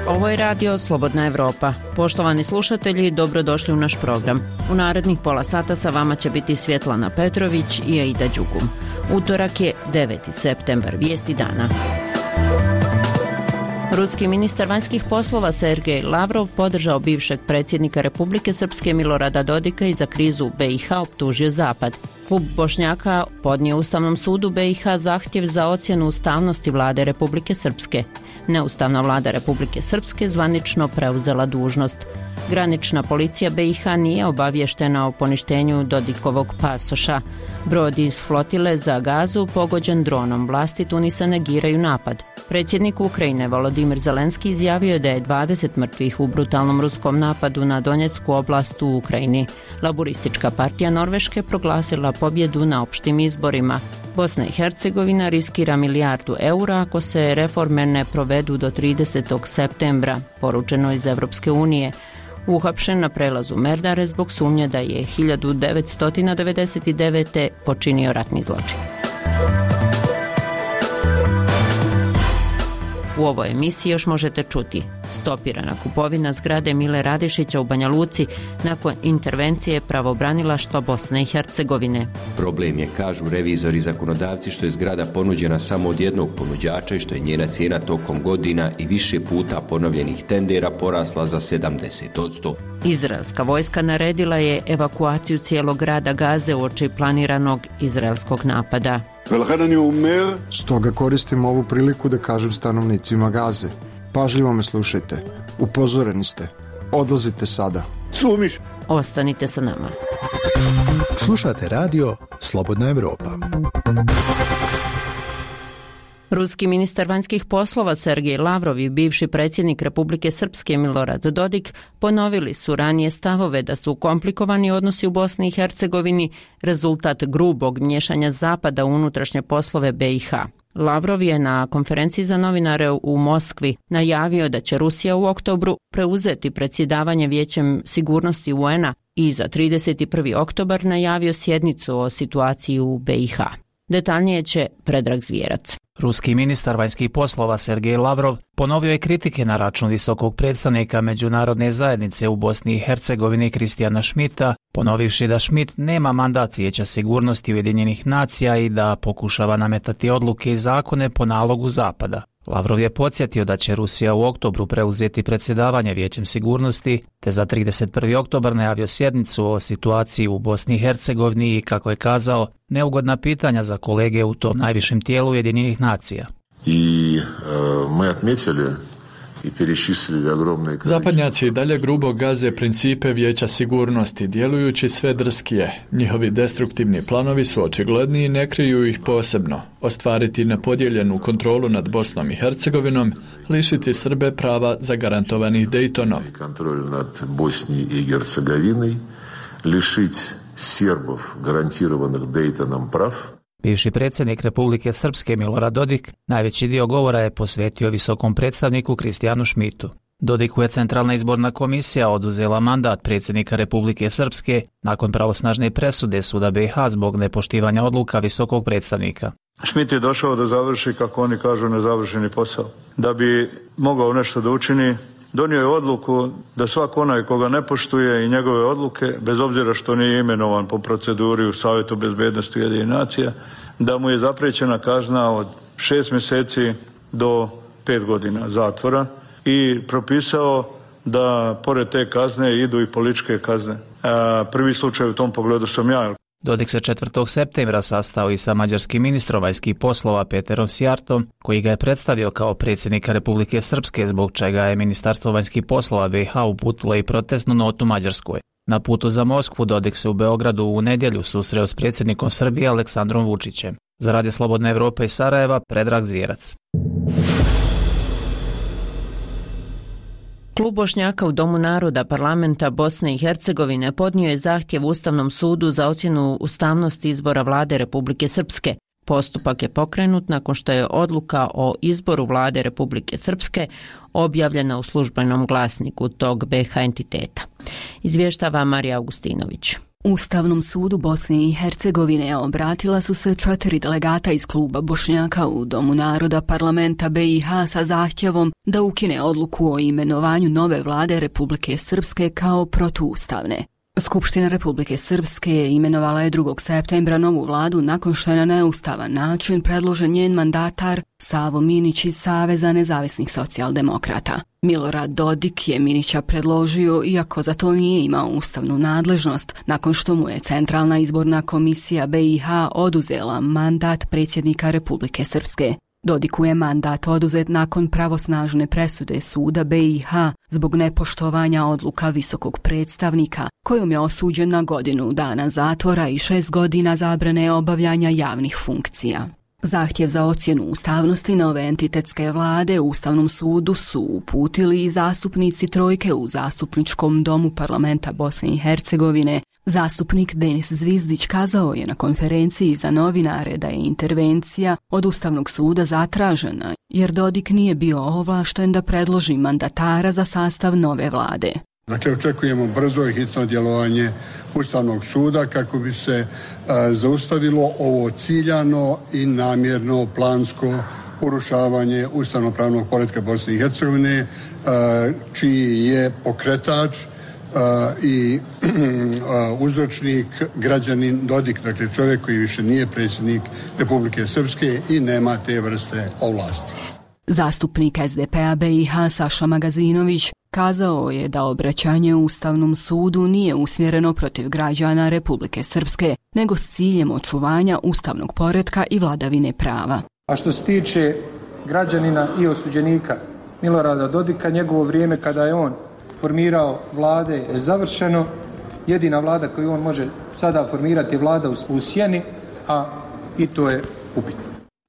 Ovo je radio Slobodna Evropa. Poštovani slušatelji, dobrodošli u naš program. U narednih pola sata sa vama će biti Svjetlana Petrović i Aida Đugum. Utorak je 9. septembar, vijesti dana. Ruski ministar vanjskih poslova Sergej Lavrov podržao bivšeg predsjednika Republike Srpske Milorada Dodika i za krizu u BiH optužio Zapad. Klub Bošnjaka podnio Ustavnom sudu BiH zahtjev za ocjenu ustavnosti vlade Republike Srpske. Neustavna vlada Republike Srpske zvanično preuzela dužnost. Granična policija BiH nije obavještena o poništenju Dodikovog pasoša. Brod iz flotile za Gazu pogođen dronom. Vlasti Tunisa negiraju napad. Predsjednik Ukrajine Volodimir Zelenski izjavio je da je 20 mrtvih u brutalnom ruskom napadu na Donjecku oblast u Ukrajini. Laburistička partija Norveške proglasila pobjedu na opštim izborima. Bosna i Hercegovina riskira €1 milijardu ako se reforme ne provedu do 30. septembra, poručeno iz Evropske unije. Uhapšen na prelazu Merdare zbog sumnje da je 1999. počinio ratni zločin. U ovoj emisiji još možete čuti: stopirana kupovina zgrade Mile Radišića u Banja Luci nakon intervencije pravobranilaštva Bosne i Hercegovine. Problem je, kažu revizori i zakonodavci, što je zgrada ponuđena samo od jednog ponuđača i što je njena cijena tokom godina i više puta ponovljenih tendera porasla za 70%. Izraelska vojska naredila je evakuaciju cijelog grada Gaze uoči planiranog izraelskog napada. Stoga koristim ovu priliku da kažem stanovnicima Gaze: pažljivo me slušajte, upozoreni ste, odlazite sada. Ostanite sa nama. Slušate radio Slobodna Evropa. Ruski ministar vanjskih poslova Sergej Lavrov i bivši predsjednik Republike Srpske Milorad Dodik ponovili su ranije stavove da su komplikovani odnosi u Bosni i Hercegovini rezultat grubog miješanja Zapada u unutrašnje poslove BiH. Lavrov je na konferenciji za novinare u Moskvi najavio da će Rusija u oktobru preuzeti predsjedavanje Vijećem sigurnosti UN-a i za 31. oktobar najavio sjednicu o situaciji u BiH. Detaljnije će Predrag Zvjerac. Ruski ministar vanjskih poslova Sergej Lavrov ponovio je kritike na račun visokog predstavnika međunarodne zajednice u Bosni i Hercegovini Kristijana Schmidta, ponovivši da Schmidt nema mandat Vijeća sigurnosti Ujedinjenih nacija i da pokušava nametati odluke i zakone po nalogu Zapada. Lavrov je podsjetio da će Rusija u oktobru preuzeti predsjedavanje Vijećem sigurnosti, te za 31. oktobar najavio sjednicu o situaciji u Bosni i Hercegovini i, kako je kazao, neugodna pitanja za kolege u tom najvišem tijelu Ujedinjenih nacija. Zapadnjaci dalje grubo gaze principe Vijeća sigurnosti, djelujući sve drskije. Njihovi destruktivni planovi su očigledni i ne kriju ih posebno. Ostvariti nepodijeljenu kontrolu nad Bosnom i Hercegovinom, lišiti Srbe prava zagarantovanih Dejtonom. Kontrol nad Bosni i Hercegovinom, lišiti Srbov garantiranih Dejtonom prav. Bivši predsjednik Republike Srpske Milorad Dodik najveći dio govora je posvetio visokom predstavniku Kristijanu Schmidtu. Dodiku je Centralna izborna komisija oduzela mandat predsjednika Republike Srpske nakon pravosnažne presude suda BiH zbog nepoštivanja odluka visokog predstavnika. Schmidt je došao da završi, kako oni kažu, nezavršeni posao. Da bi mogao nešto da učini, donio je odluku da svak onaj koga ne poštuje i njegove odluke, bez obzira što nije imenovan po proceduri u Savjetu bezbednosti Ujedinjenih nacija, da mu je zapriječena kazna od 6 mjeseci do 5 godina zatvora i propisao da pored te kazne idu i političke kazne. Prvi slučaj u tom pogledu sam ja. Dodik se 4. septembra sastao i sa mađarskim ministrom vanjskih poslova Peterom Sjartom, koji ga je predstavio kao predsjednika Republike Srpske, zbog čega je Ministarstvo vanjskih poslova BiH uputilo i protestnu notu Mađarskoj. Na putu za Moskvu Dodik se u Beogradu u nedjelju susreo s predsjednikom Srbije Aleksandrom Vučićem. Za Radio Slobodne Evrope iz Sarajeva, Predrag Zvjerac. Klub Bošnjaka u Domu naroda parlamenta Bosne i Hercegovine podnio je zahtjev Ustavnom sudu za ocjenu ustavnosti izbora vlade Republike Srpske. Postupak je pokrenut nakon što je odluka o izboru vlade Republike Srpske objavljena u službenom glasniku tog BiH entiteta. Izvještava Marija Augustinović. Ustavnom sudu Bosne i Hercegovine obratila su se 4 delegata iz kluba Bošnjaka u Domu naroda parlamenta BiH sa zahtjevom da ukine odluku o imenovanju nove vlade Republike Srpske kao protuustavne. Skupština Republike Srpske imenovala je 2. septembra novu vladu nakon što je na neustavan način predložen njen mandatar Savo Minić iz Saveza nezavisnih socijaldemokrata. Milorad Dodik je Minića predložio iako za to nije imao ustavnu nadležnost nakon što mu je Centralna izborna komisija BiH oduzela mandat predsjednika Republike Srpske. Dodiku je mandat oduzet nakon pravosnažne presude suda BiH zbog nepoštovanja odluka visokog predstavnika, kojom je osuđen na godinu dana zatvora i 6 godina zabrane obavljanja javnih funkcija. Zahtjev za ocjenu ustavnosti nove entitetske vlade u Ustavnom sudu su uputili i zastupnici trojke u Zastupničkom domu parlamenta Bosne i Hercegovine. Zastupnik Denis Zvizdić kazao je na konferenciji za novinare da je intervencija od Ustavnog suda zatražena, jer Dodik nije bio ovlašten da predloži mandatara za sastav nove vlade. Dakle, očekujemo brzo i hitno djelovanje Ustavnog suda kako bi se zaustavilo ovo ciljano i namjerno plansko urušavanje ustavnopravnog poretka Bosne i Hercegovine, čiji je pokretač i uzročnik građanin Dodik, dakle čovjek koji više nije predsjednik Republike Srpske i nema te vrste ovlasti. Zastupnik SDP-a BiH Saša Magazinović kazao je da obraćanje Ustavnom sudu nije usmjereno protiv građana Republike Srpske, nego s ciljem očuvanja ustavnog poretka i vladavine prava. A što se tiče građanina i osuđenika Milorada Dodika, njegovo vrijeme kada je on formirao vlade je završeno. Jedina vlada koju on može sada formirati je vlada u sjeni, a i to je upitno.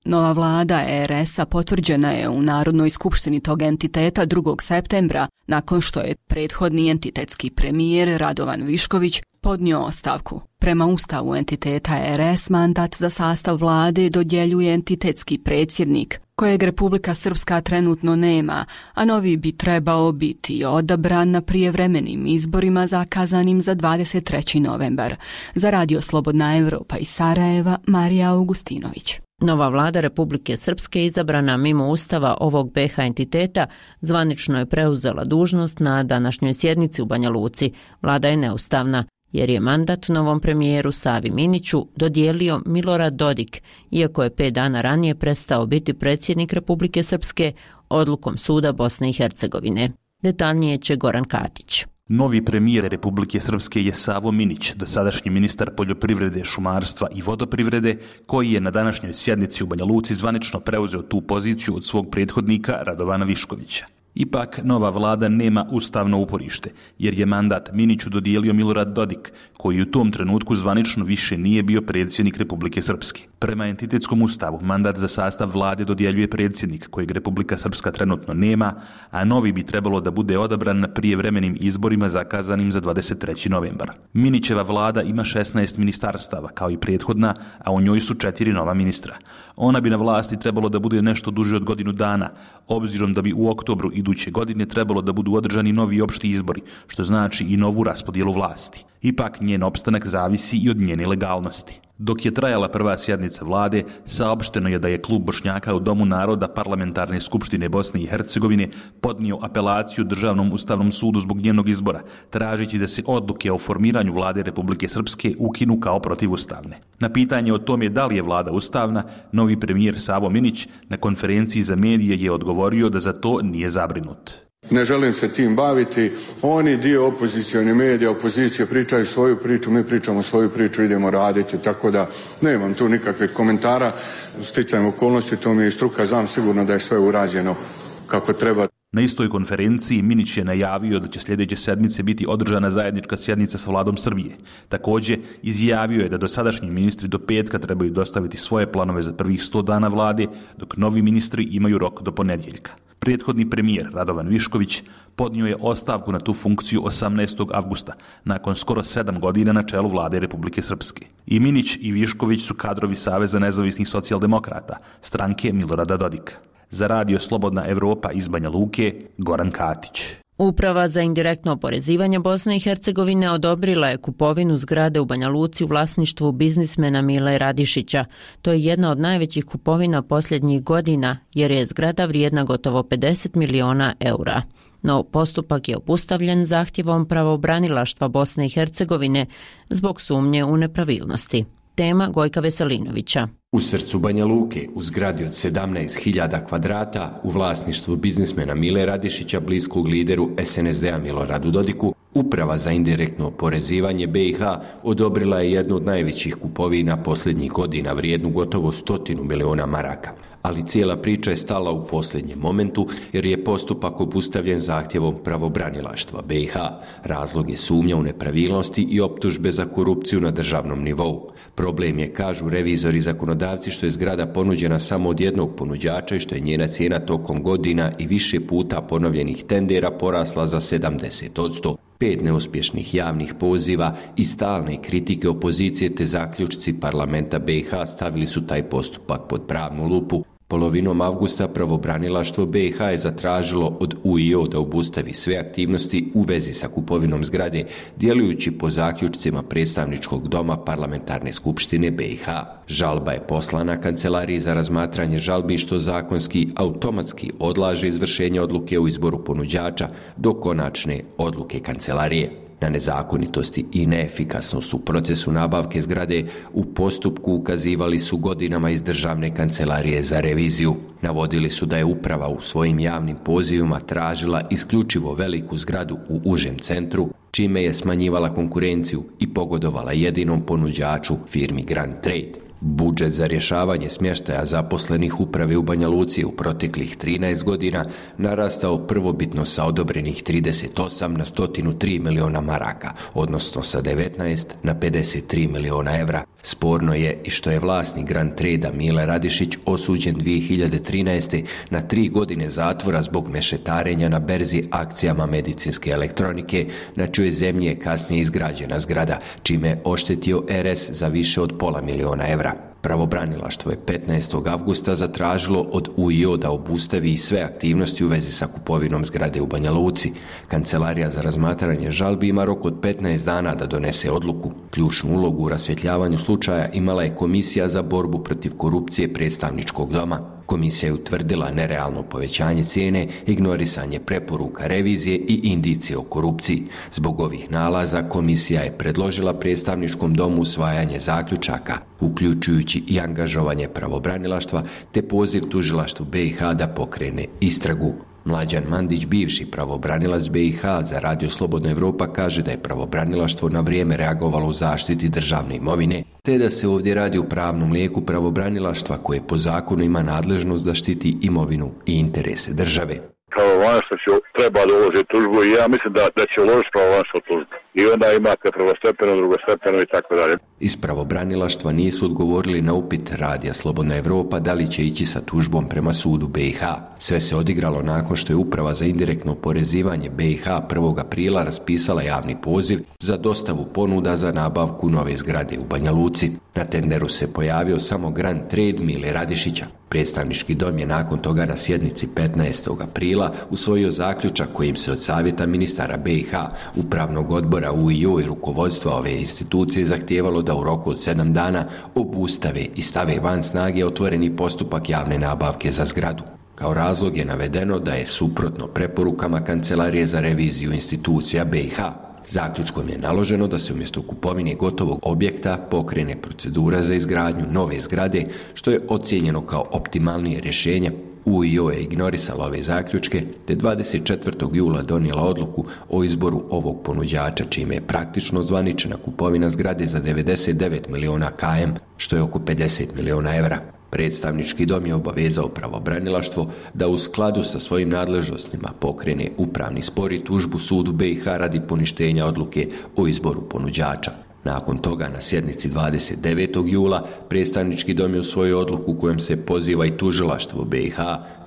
Nova vlada RS-a potvrđena je u Narodnoj skupštini tog entiteta 2. septembra, nakon što je prethodni entitetski premijer Radovan Višković podnio ostavku. Prema ustavu entiteta RS mandat za sastav vlade dodjeljuje entitetski predsjednik, kojeg Republika Srpska trenutno nema, a novi bi trebao biti odabran na prijevremenim izborima zakazanim za 23. novembar. Za Radio Slobodna Evropa iz Sarajeva, Marija Augustinović. Nova vlada Republike Srpske izabrana mimo ustava ovog BiH entiteta zvanično je preuzela dužnost na današnjoj sjednici u Banja Luci. Vlada je neustavna jer je mandat novom premijeru Savi Miniću dodijelio Milorad Dodik, iako je 5 dana ranije prestao biti predsjednik Republike Srpske odlukom suda Bosne i Hercegovine. Detaljnije će Goran Katić. Novi premijer Republike Srpske je Savo Minić, dosadašnji ministar poljoprivrede, šumarstva i vodoprivrede, koji je na današnjoj sjednici u Banja Luci zvanično preuzeo tu poziciju od svog prethodnika Radovana Viškovića. Ipak, nova vlada nema ustavno uporište, jer je mandat Miniću dodijelio Milorad Dodik, koji u tom trenutku zvanično više nije bio predsjednik Republike Srpske. Prema entitetskom ustavu, mandat za sastav vlade dodjeljuje predsjednik, kojeg Republika Srpska trenutno nema, a novi bi trebalo da bude odabran na prijevremenim izborima zakazanim za 23. novembar. Minićeva vlada ima 16 ministarstava, kao i prethodna, a u njoj su 4 nova ministra. Ona bi na vlasti trebalo da bude nešto duže od godinu dana, obzirom da bi u oktobru iduće godine trebalo da budu održani novi opšti izbori, što znači i novu raspodjelu vlasti. Ipak njen opstanak zavisi i od njene legalnosti. Dok je trajala prva sjednica vlade, saopšteno je da je klub Bošnjaka u Domu naroda Parlamentarne skupštine Bosne i Hercegovine podnio apelaciju Državnom ustavnom sudu zbog njenog izbora, tražeći da se odluke o formiranju vlade Republike Srpske ukinu kao protivustavne. Na pitanje o tome da li je vlada ustavna, novi premijer Savo Minić na konferenciji za medije je odgovorio da za to nije zabrinut. Ne želim se tim baviti. Oni dio opozicijone medija, opozicije pričaju svoju priču, mi pričamo svoju priču, idemo raditi, tako da nemam tu nikakvih komentara. Sticajem okolnosti, to mi je struka, znam sigurno da je sve urađeno kako treba. Na istoj konferenciji Minić je najavio da će sljedeće sedmice biti održana zajednička sjednica sa vladom Srbije. Također, izjavio je da dosadašnji ministri do petka trebaju dostaviti svoje planove za prvih 100 dana vlade, dok novi ministri imaju rok do ponedjeljka. Prethodni premijer Radovan Višković podnio je ostavku na tu funkciju 18. avgusta, nakon skoro 7 godina na čelu vlade Republike Srpske. I Minić i Višković su kadrovi Saveza nezavisnih socijaldemokrata, stranke Milorada Dodika. Za Radio Slobodna Evropa iz Banja Luke, Goran Katić. Uprava za indirektno oporezivanje Bosne i Hercegovine odobrila je kupovinu zgrade u Banja Luci u vlasništvu biznismena Mile Radišića. To je jedna od najvećih kupovina posljednjih godina, jer je zgrada vrijedna gotovo 50 miliona eura. No postupak je obustavljen zahtjevom pravobranilaštva Bosne i Hercegovine zbog sumnje u nepravilnosti. Tema Gojka Veselinovića. U srcu Banja Luke, u zgradi od 17.000 kvadrata, u vlasništvu biznismena Mile Radišića, bliskog lideru SNSD-a Miloradu Dodiku, Uprava za indirektno oporezivanje BiH odobrila je jednu od najvećih kupovina posljednjih godina vrijednu gotovo 100 miliona maraka. Ali cijela priča je stala u posljednjem momentu jer je postupak obustavljen zahtjevom pravobranilaštva BiH. Razlog je sumnja u nepravilnosti i optužbe za korupciju na državnom nivou. Problem je, kažu revizori zakonodavci, što je zgrada ponuđena samo od jednog ponuđača i što je njena cijena tokom godina i više puta ponovljenih tendera porasla za 70%. 5 neuspješnih javnih poziva i stalne kritike opozicije te zaključci parlamenta BiH stavili su taj postupak pod pravnu lupu. Polovinom avgusta pravobranilaštvo BiH je zatražilo od UIO da obustavi sve aktivnosti u vezi sa kupovinom zgrade, djelujući po zaključcima predstavničkog doma parlamentarne skupštine BiH. Žalba je poslana Kancelariji za razmatranje žalbi, što zakonski automatski odlaže izvršenje odluke o izboru ponuđača do konačne odluke Kancelarije. Na nezakonitosti i neefikasnost u procesu nabavke zgrade u postupku ukazivali su godinama iz Državne kancelarije za reviziju. Navodili su da je uprava u svojim javnim pozivima tražila isključivo veliku zgradu u užem centru, čime je smanjivala konkurenciju i pogodovala jedinom ponuđaču, firmi Grand Trade. Budžet za rješavanje smještaja zaposlenih uprave u Banja Luci u proteklih 13 godina narastao prvobitno sa odobrenih 38 na 103 miliona maraka, odnosno sa 19 na 53 miliona evra. Sporno je i što je vlasnik Grand Trade-a Mile Radišić osuđen 2013. na 3 godine zatvora zbog mešetarenja na berzi akcijama medicinske elektronike, na čijoj zemlji je kasnije izgrađena zgrada, čime je oštetio RS za više od pola miliona evra. Pravobranilaštvo je 15. avgusta zatražilo od UIO da obustavi sve aktivnosti u vezi sa kupovinom zgrade u Banja Luci. Kancelarija za razmatranje žalbi ima rok od 15 dana da donese odluku. Ključnu ulogu u rasvjetljavanju slučaja imala je Komisija za borbu protiv korupcije predstavničkog doma. Komisija je utvrdila nerealno povećanje cijene, ignorisanje preporuka revizije i indicije o korupciji. Zbog ovih nalaza komisija je predložila predstavničkom domu usvajanje zaključaka, uključujući i angažovanje pravobranilaštva te poziv tužilaštvu BiH da pokrene istragu. Mlađan Mandić, bivši pravobranilac BiH za Radio Slobodna Evropa, kaže da je pravobranilaštvo na vrijeme reagovalo u zaštiti državne imovine, te da se ovdje radi o pravnom lijeku pravobranilaštva koje po zakonu ima nadležnost da štiti imovinu i interese države. Pravobranilaštvo treba da uloži tužbu i ja mislim da će uložiti pravobranilaštvo tužbu. I onda imate prvostepeno, drugostepeno i tako dalje. Iz pravobranilaštva nisu odgovorili na upit Radija Slobodna Evropa da li će ići sa tužbom prema sudu BiH. Sve se odigralo nakon što je Uprava za indirektno oporezivanje BiH 1. aprila raspisala javni poziv za dostavu ponuda za nabavku nove zgrade u Banja Luci. Na tenderu se pojavio samo Grand Trade Mile Radišića. Predstavnički dom je nakon toga na sjednici 15. aprila usvojio zaključak kojim se od savjeta ministara BiH, upravnog odbora UIO i rukovodstva ove institucije zahtijevalo da u roku od 7 dana obustave i stave van snage otvoreni postupak javne nabavke za zgradu. Kao razlog je navedeno da je suprotno preporukama Kancelarije za reviziju institucija BiH. Zaključkom je naloženo da se umjesto kupovine gotovog objekta pokrene procedura za izgradnju nove zgrade, što je ocijenjeno kao optimalnije rješenje. UIO je ignorisala ove zaključke te 24. jula donijela odluku o izboru ovog ponuđača, čime je praktično zvaničena kupovina zgrade za 99 miliona km, što je oko 50 miliona evra. Predstavnički dom je obavezao pravobranilaštvo da u skladu sa svojim nadležnostima pokrene upravni spor i tužbu sudu BiH radi poništenja odluke o izboru ponuđača. Nakon toga na sjednici 29. jula predstavnički dom je usvojio odluku kojom se poziva i tužilaštvo BiH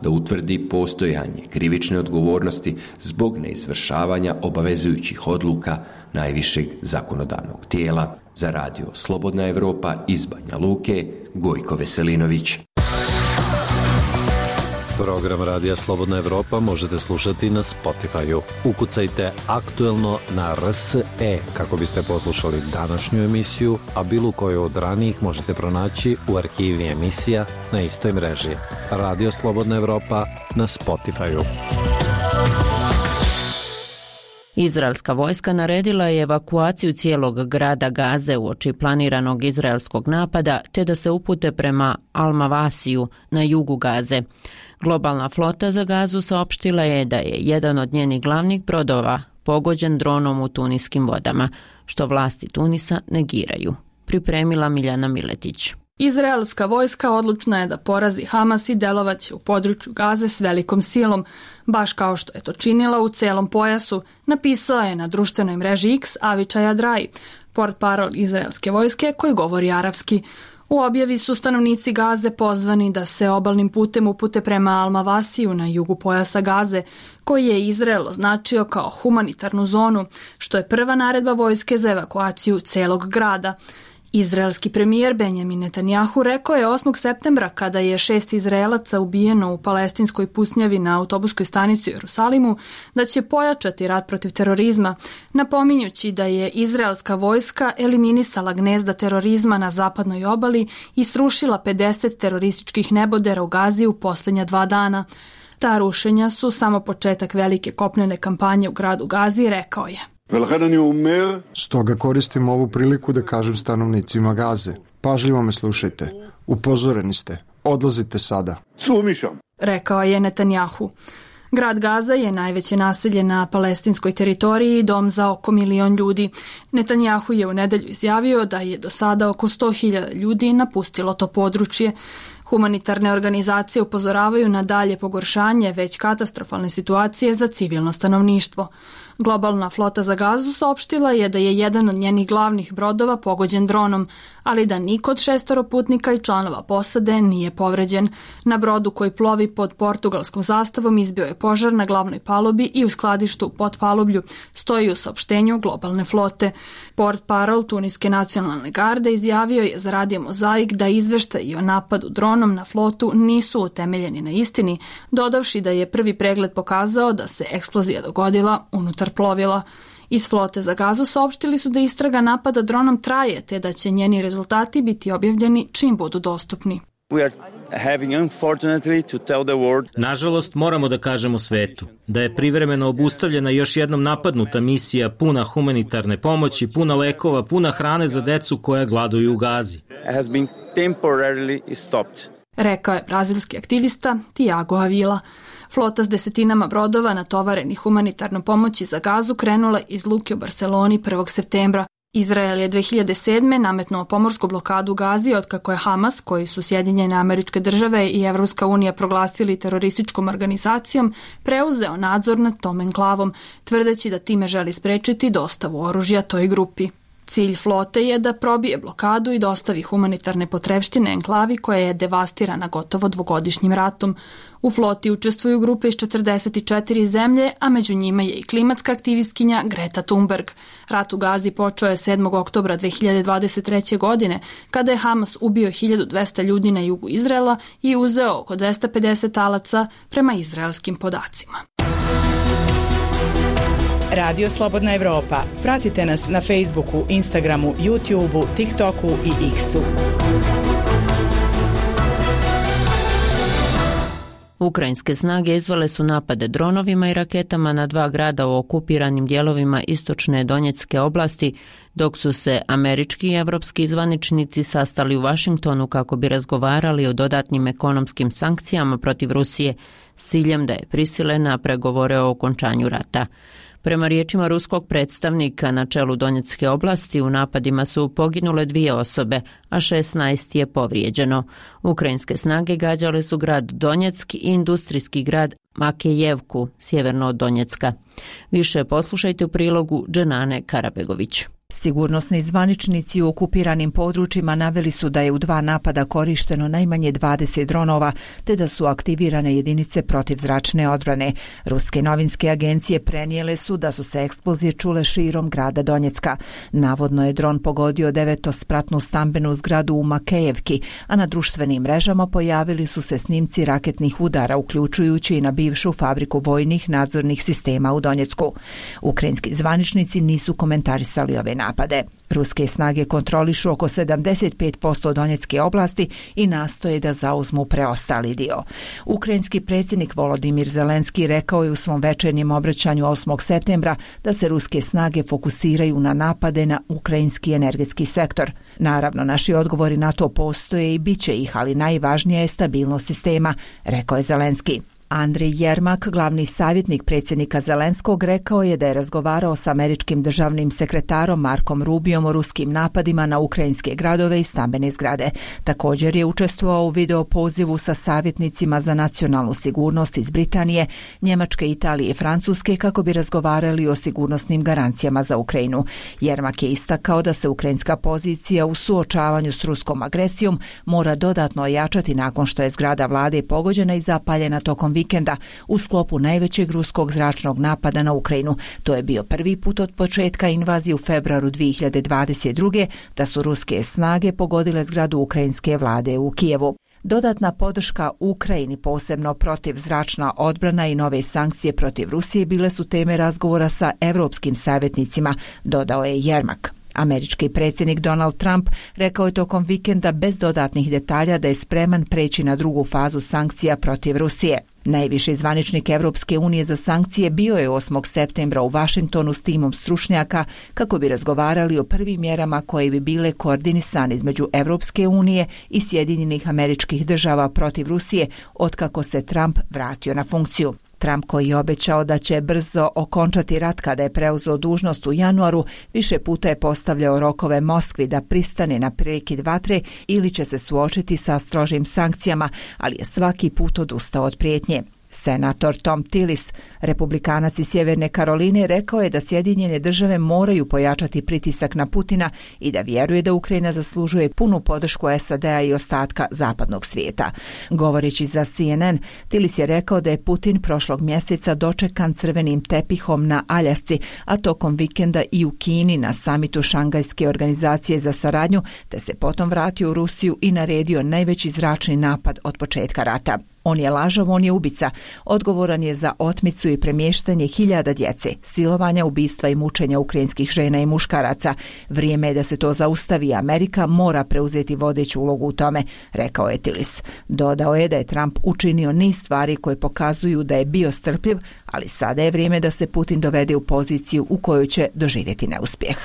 da utvrdi postojanje krivične odgovornosti zbog neizvršavanja obavezujućih odluka najvišeg zakonodavnog tijela. Za Radio Slobodna Evropa iz Banja Luke, Gojko Veselinović. Program Radija Slobodna Evropa možete slušati na Spotify-u. Ukucajte Aktuelno na RSE kako biste poslušali današnju emisiju, a bilo koju od ranijih možete pronaći u arhivi emisija na istoj mreži. Radio Slobodna Evropa na Spotify-u. Izraelska vojska naredila je evakuaciju cijelog grada Gaze uoči planiranog izraelskog napada, te da se upute prema Al-Mawasiju na jugu Gaze. Globalna flota za Gazu saopštila je da je jedan od njenih glavnih brodova pogođen dronom u tuniskim vodama, što vlasti Tunisa negiraju. Pripremila Miljana Miletić. Izraelska vojska odlučna je da porazi Hamas i delovaće u području Gaze s velikom silom, baš kao što je to činila u celom pojasu, napisala je na društvenoj mreži X Avichai Adrai, portparol izraelske vojske koji govori arapski. U objavi su stanovnici Gaze pozvani da se obalnim putem upute prema Al-Mawasiju na jugu pojasa Gaze, koji je Izrael označio kao humanitarnu zonu, što je prva naredba vojske za evakuaciju celog grada. Izraelski premijer Benjamin Netanjahu rekao je 8. septembra, kada je 6 Izraelaca ubijeno u palestinskoj pusnjavi na autobuskoj stanici u Jerusalimu, da će pojačati rat protiv terorizma, napominjući da je izraelska vojska eliminisala gnezda terorizma na zapadnoj obali i srušila 50 terorističkih nebodera u Gazi u posljednja 2 dana. Ta rušenja su samo početak velike kopnene kampanje u gradu Gazi, rekao je. Stoga koristim ovu priliku da kažem stanovnicima Gaze. Pažljivo me slušajte. Upozoreni ste. Odlazite sada. Rekao je Netanjahu. Grad Gaza je najveće naselje na palestinskoj teritoriji i dom za oko 1 milion ljudi. Netanjahu je u nedelju izjavio da je do sada oko 100.000 ljudi napustilo to područje. Humanitarne organizacije upozoravaju na dalje pogoršanje već katastrofalne situacije za civilno stanovništvo. Globalna flota za Gazu saopštila je da je jedan od njenih glavnih brodova pogođen dronom, ali da niko od 6 putnika i članova posade nije povređen. Na brodu koji plovi pod portugalskom zastavom izbio je požar na glavnoj palubi i u skladištu u potpalublju, stoji u saopštenju globalne flote. Portparol Tuniske nacionalne garde izjavio je za Radio Mozaik da izveštaji o napadu dronom na flotu nisu utemeljeni na istini, dodavši da je prvi pregled pokazao da se eksplozija dogodila unutar plovila. Iz flote za Gazu saopštili su da istraga napada dronom traje, te da će njeni rezultati biti objavljeni čim budu dostupni. Nažalost, moramo da kažemo svetu da je privremeno obustavljena još jednom napadnuta misija puna humanitarne pomoći, puna lekova, puna hrane za decu koja gladuju u Gazi. Rekao je brazilski aktivista Tiago Avila. Flota s desetinama brodova natovarenih humanitarnom pomoći za Gazu krenula iz luke u Barceloni 1. septembra. Izrael je 2007. nametnuo pomorsku blokadu Gazi otkako je Hamas, koji su Sjedinjene Američke Države i Evropska unija proglasili terorističkom organizacijom, preuzeo nadzor nad tom enklavom, tvrdeći da time želi sprečiti dostavu oružja toj grupi. Cilj flote je da probije blokadu i dostavi humanitarne potrepštine enklavi koja je devastirana gotovo 2-godišnjim ratom. U floti učestvuju grupe iz 44 zemlje, a među njima je i klimatska aktivistkinja Greta Thunberg. Rat u Gazi počeo je 7. oktobra 2023. godine, kada je Hamas ubio 1200 ljudi na jugu Izraela i uzeo oko 250 talaca prema izraelskim podacima. Radio Slobodna Evropa. Pratite nas na Facebooku, Instagramu, YouTubeu, TikToku i X-u. Ukrajinske snage izvele su napade dronovima i raketama na 2 grada u okupiranim dijelovima istočne Donjecke oblasti, dok su se američki i evropski zvaničnici sastali u Vašingtonu kako bi razgovarali o dodatnim ekonomskim sankcijama protiv Rusije s ciljem da je prisile na pregovore o okončanju rata. Prema riječima ruskog predstavnika na čelu Donjecke oblasti, u napadima su poginule 2 osobe, a 16 je povrijeđeno. Ukrajinske snage gađale su grad Donjeck i industrijski grad Makejevku, sjeverno od Donjecka. Više poslušajte u prilogu Dženane Karabegović. Sigurnosni zvaničnici u okupiranim područjima naveli su da je u 2 napada korišteno najmanje 20 dronova, te da su aktivirane jedinice protivzračne odbrane. Ruske novinske agencije prenijele su da su se eksplozije čule širom grada Donjecka. Navodno je dron pogodio 9-spratnu stambenu zgradu u Makejevki, a na društvenim mrežama pojavili su se snimci raketnih udara, uključujući i na bivšu fabriku vojnih nadzornih sistema u Donjecku. Ukrajinski zvaničnici nisu komentarisali ove napade. Ruske snage kontrolišu oko 75% Donjecke oblasti i nastoje da zauzmu preostali dio. Ukrajinski predsjednik Volodimir Zelenski rekao je u svom večernjem obraćanju 8. septembra da se ruske snage fokusiraju na napade na ukrajinski energetski sektor. Naravno, naši odgovori na to postoje i bit će ih, ali najvažnija je stabilnost sistema, rekao je Zelenski. Andrej Jermak, glavni savjetnik predsjednika Zelenskog, rekao je da je razgovarao s američkim državnim sekretarom Markom Rubiom o ruskim napadima na ukrajinske gradove i stambene zgrade. Također je učestvovao u video pozivu sa savjetnicima za nacionalnu sigurnost iz Britanije, Njemačke, Italije i Francuske kako bi razgovarali o sigurnosnim garancijama za Ukrajinu. Jermak je istakao da se ukrajinska pozicija u suočavanju s ruskom agresijom mora dodatno ojačati nakon što je zgrada vlade pogođena i zapaljena tokom vikenda u sklopu najvećeg ruskog zračnog napada na Ukrajinu. To je bio prvi put od početka invazije u februaru 2022. da su ruske snage pogodile zgradu ukrajinske vlade u Kijevu. Dodatna podrška Ukrajini, posebno protivzračna odbrana i nove sankcije protiv Rusije bile su teme razgovora sa europskim savjetnicima, dodao je Jermak. Američki predsjednik Donald Trump rekao je tokom vikenda bez dodatnih detalja da je spreman preći na drugu fazu sankcija protiv Rusije. Najviši zvaničnik Evropske unije za sankcije bio je 8. septembra u Vašingtonu s timom stručnjaka kako bi razgovarali o prvim mjerama koje bi bile koordinisane između Evropske unije i Sjedinjenih Američkih Država protiv Rusije otkako se Trump vratio na funkciju. Trump, koji je obećao da će brzo okončati rat kada je preuzeo dužnost u januaru, više puta je postavljao rokove Moskvi da pristane na prekid vatre ili će se suočiti sa strožim sankcijama, ali je svaki put odustao od prijetnje. Senator Tom Tillis, republikanac iz Sjeverne Karoline, rekao je da Sjedinjene Države moraju pojačati pritisak na Putina i da vjeruje da Ukrajina zaslužuje punu podršku SAD-a i ostatka zapadnog svijeta. Govoreći za CNN, Tillis je rekao da je Putin prošlog mjeseca dočekan crvenim tepihom na Aljasci, a tokom vikenda i u Kini na samitu Šangajske organizacije za saradnju, te se potom vratio u Rusiju i naredio najveći zračni napad od početka rata. On je lažov, on je ubica. Odgovoran je za otmicu i premještanje hiljada djece, silovanja, ubistva i mučenja ukrajinskih žena i muškaraca. Vrijeme je da se to zaustavi. Amerika mora preuzeti vodeću ulogu u tome, rekao je Tillis. Dodao je da je Trump učinio niz stvari koje pokazuju da je bio strpljiv, ali sada je vrijeme da se Putin dovede u poziciju u kojoj će doživjeti neuspjeh.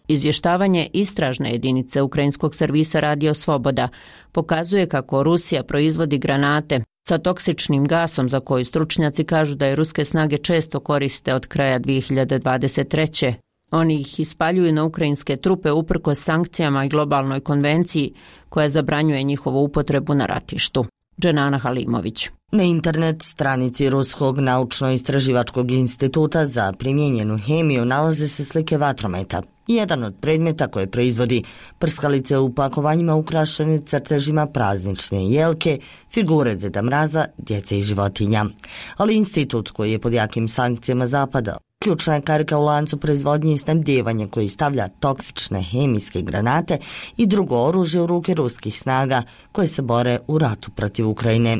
Izvještavanje istražne jedinice ukrajinskog servisa Radio Sloboda pokazuje kako Rusija proizvodi granate sa toksičnim gasom za koju stručnjaci kažu da je ruske snage često koriste od kraja 2023. Oni ih ispaljuju na ukrajinske trupe uprkos sankcijama i globalnoj konvenciji koja zabranjuje njihovu upotrebu na ratištu. Dženana Halimović. Na internet stranici Ruskog naučno-istraživačkog instituta za primijenjenu hemiju nalaze se slike vatrometa. Jedan od predmeta koje proizvodi prskalice u pakovanjima ukrašene crtežima praznične jelke, figure Deda Mraza, djece i životinja. Ali institut koji je pod jakim sankcijama Zapada, ključna je karika u lancu proizvodnje i snabdijevanja koji stavlja toksične hemijske granate i drugo oružje u ruke ruskih snaga koje se bore u ratu protiv Ukrajine.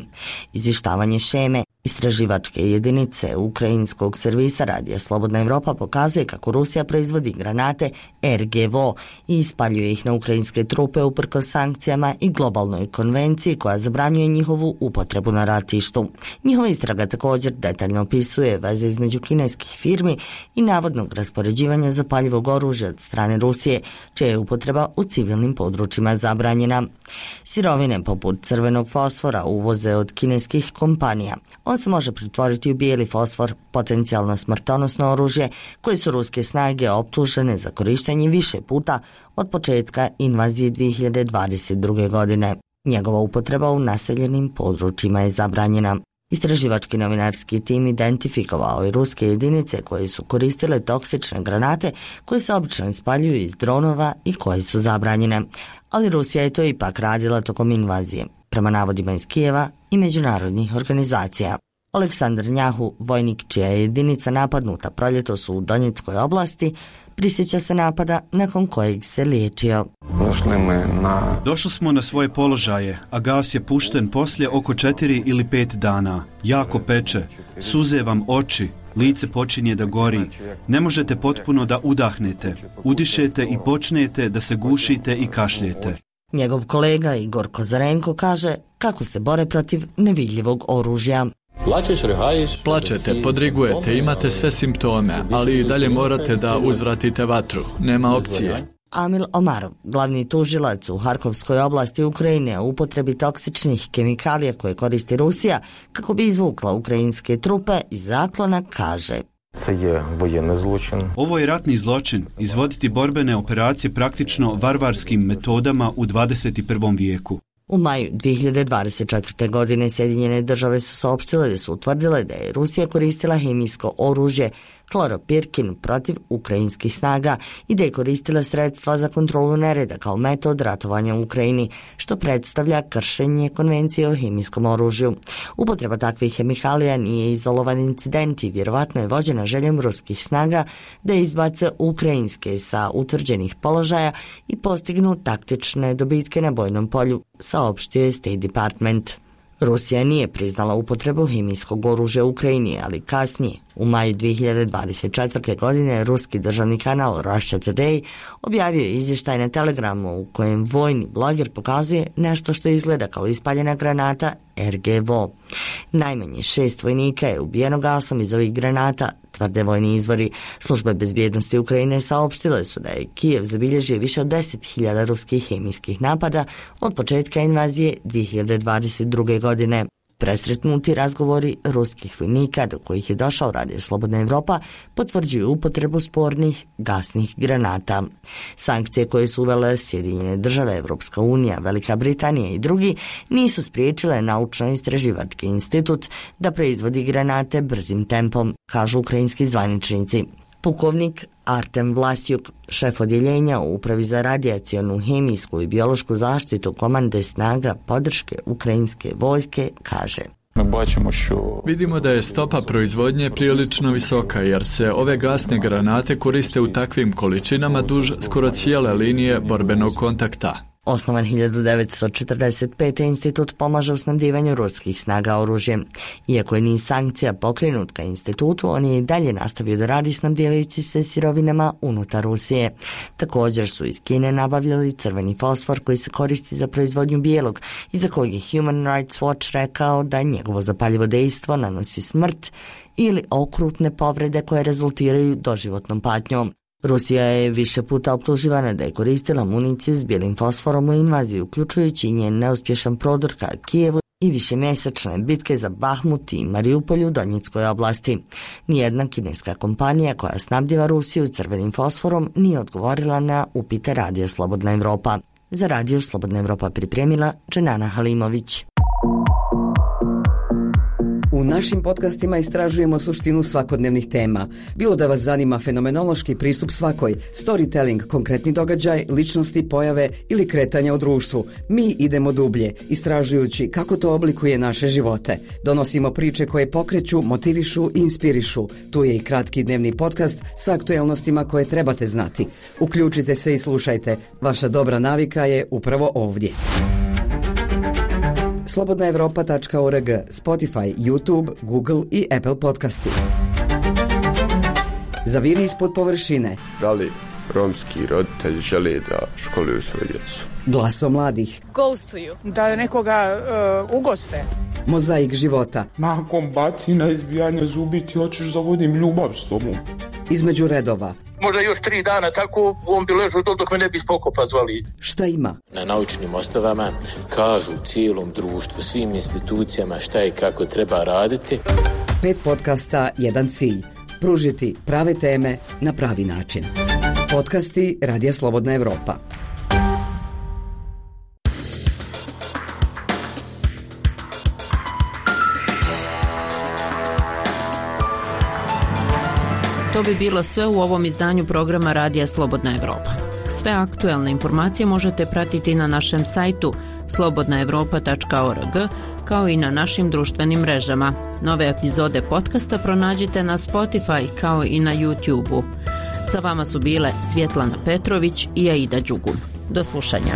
Izvještavanje šeme istraživačke jedinice ukrajinskog servisa Radija Slobodna Evropa pokazuje kako Rusija proizvodi granate RGVO i ispaljuje ih na ukrajinske trupe uprkos sankcijama i globalnoj konvenciji koja zabranjuje njihovu upotrebu na ratištu. Njihova istraga također detaljno opisuje veze između kineskih firmi i navodnog raspoređivanja zapaljivog oružja od strane Rusije, čija je upotreba u civilnim područjima zabranjena. Sirovine poput crvenog fosfora uvoze od kineskih kompanija. On se može pretvoriti u bijeli fosfor, potencijalno smrtonosno oružje, koje su ruske snage optužene za korištenje više puta od početka invazije 2022. godine. Njegova upotreba u naseljenim područjima je zabranjena. Istraživački novinarski tim identifikovao je ruske jedinice koje su koristile toksične granate koje se obično ispaljuju iz dronova i koje su zabranjene. Ali Rusija je to ipak radila tokom invazije, prema navodima iz Kijeva i međunarodnih organizacija. Aleksandar Njahu, vojnik čija je jedinica napadnuta proljetos u Donjeckoj oblasti, prisjeća se napada nakon kojeg se liječio. Došli smo na svoje položaje, a gas je pušten poslije oko 4 ili 5 dana. Jako peče, suze vam oči, lice počinje da gori. Ne možete potpuno da udahnete, udišete i počnete da se gušite i kašljete. Njegov kolega Igor Kozarenko kaže kako se bore protiv nevidljivog oružja. Plačete, podrigujete, imate sve simptome, ali i dalje morate da uzvratite vatru. Nema opcije. Amil Omarov, glavni tužilac u Harkovskoj oblasti Ukrajine o upotrebi toksičnih kemikalija koje koristi Rusija kako bi izvukla ukrajinske trupe iz zaklona, kaže: Ovo je ratni zločin, izvoditi borbene operacije praktično varvarskim metodama u 21. vijeku. U maju 2024. godine Sjedinjene države su saopštile da su utvrdile da je Rusija koristila hemijsko oružje kloropirkin protiv ukrajinskih snaga i da je koristila sredstva za kontrolu nereda kao metod ratovanja u Ukrajini, što predstavlja kršenje konvencije o hemijskom oružju. Upotreba takvih hemikalija nije izolovan incident i vjerovatno je vođena željom ruskih snaga da izbace ukrajinske sa utvrđenih položaja i postignu taktične dobitke na bojnom polju, saopštio je State Department. Rusija nije priznala upotrebu hemijskog oružja u Ukrajini, ali kasnije, u maju 2024. godine, ruski državni kanal Russia Today objavio je izvještaj na Telegramu u kojem vojni bloger pokazuje nešto što izgleda kao ispaljena granata RGVO. Najmanje 6 vojnika je ubijeno gasom iz ovih granata, tvrde vojni izvori. Službe bezbjednosti Ukrajine saopštile su da je Kijev zabilježio više od 10.000 ruskih hemijskih napada od početka invazije 2022. godine. Presretnuti razgovori ruskih vojnika do kojih je došao Radio Slobodna Evropa potvrđuju upotrebu spornih gasnih granata. Sankcije koje su uvele Sjedinjene države, Evropska unija, Velika Britanija i drugi nisu spriječile naučno-istraživački institut da proizvodi granate brzim tempom, kažu ukrajinski zvaničnici. Pukovnik Artem Vlasjuk, šef odjeljenja u Upravi za radijacionu, hemijsku i biološku zaštitu komande snaga podrške ukrajinske vojske, kaže: Vidimo da je stopa proizvodnje prilično visoka jer se ove gasne granate koriste u takvim količinama duž skoro cijele linije borbenog kontakta. Osnovan 1945. institut pomaže u snabdivanju ruskih snaga oružjem. Iako je niz sankcija pokrenut ka institutu, on je i dalje nastavio da radi snabdivajući se sirovinama unutar Rusije. Također su iz Kine nabavljali crveni fosfor koji se koristi za proizvodnju bijelog i za kojeg je Human Rights Watch rekao da njegovo zapaljivo dejstvo nanosi smrt ili okrutne povrede koje rezultiraju doživotnom patnjom. Rusija je više puta optuživana da je koristila municiju s bijelim fosforom u invaziji, uključujući njen neuspješan prodor ka Kijevu i višemjesečne bitke za Bahmut i Mariupolj u Donjeckoj oblasti. Nijedna kineska kompanija koja snabdjeva Rusiju crvenim fosforom nije odgovorila na upite Radio Slobodna Evropa. Za Radio Slobodna Evropa pripremila Dženana Halimović. U našim podcastima istražujemo suštinu svakodnevnih tema. Bilo da vas zanima fenomenološki pristup svakoj, storytelling, konkretni događaj, ličnosti, pojave ili kretanja u društvu, mi idemo dublje, istražujući kako to oblikuje naše živote. Donosimo priče koje pokreću, motivišu i inspirišu. Tu je i kratki dnevni podcast sa aktuelnostima koje trebate znati. Uključite se i slušajte. Vaša dobra navika je upravo ovdje. slobodnaevropa.org, Spotify, YouTube, Google i Apple podcasti. Zaviri ispod površine. Da li romski roditelji žele da školuju svoju djecu? Glasom mladih. Ghostuju. Da nekoga ugoste. Mozaik života. Nakon bacina, izbijanja zubi ti hoćeš da vodim ljubav s tobom. Između redova. Možda još 3 dana tako, on bi ležao dok me ne bi spokopa zvali. Šta ima? Na naučnim osnovama kažu cijelom društvu, svim institucijama šta i kako treba raditi. 5 podcasta, jedan cilj. Pružiti prave teme na pravi način. Podcasti Radija Slobodna Evropa. To bi bilo sve u ovom izdanju programa Radija Slobodna Evropa. Sve aktuelne informacije možete pratiti na našem sajtu slobodnaevropa.org, kao i na našim društvenim mrežama. Nove epizode podcasta pronađite na Spotify kao i na YouTube-u. Sa vama su bile Svjetlana Petrović i Aida Đugun. Do slušanja.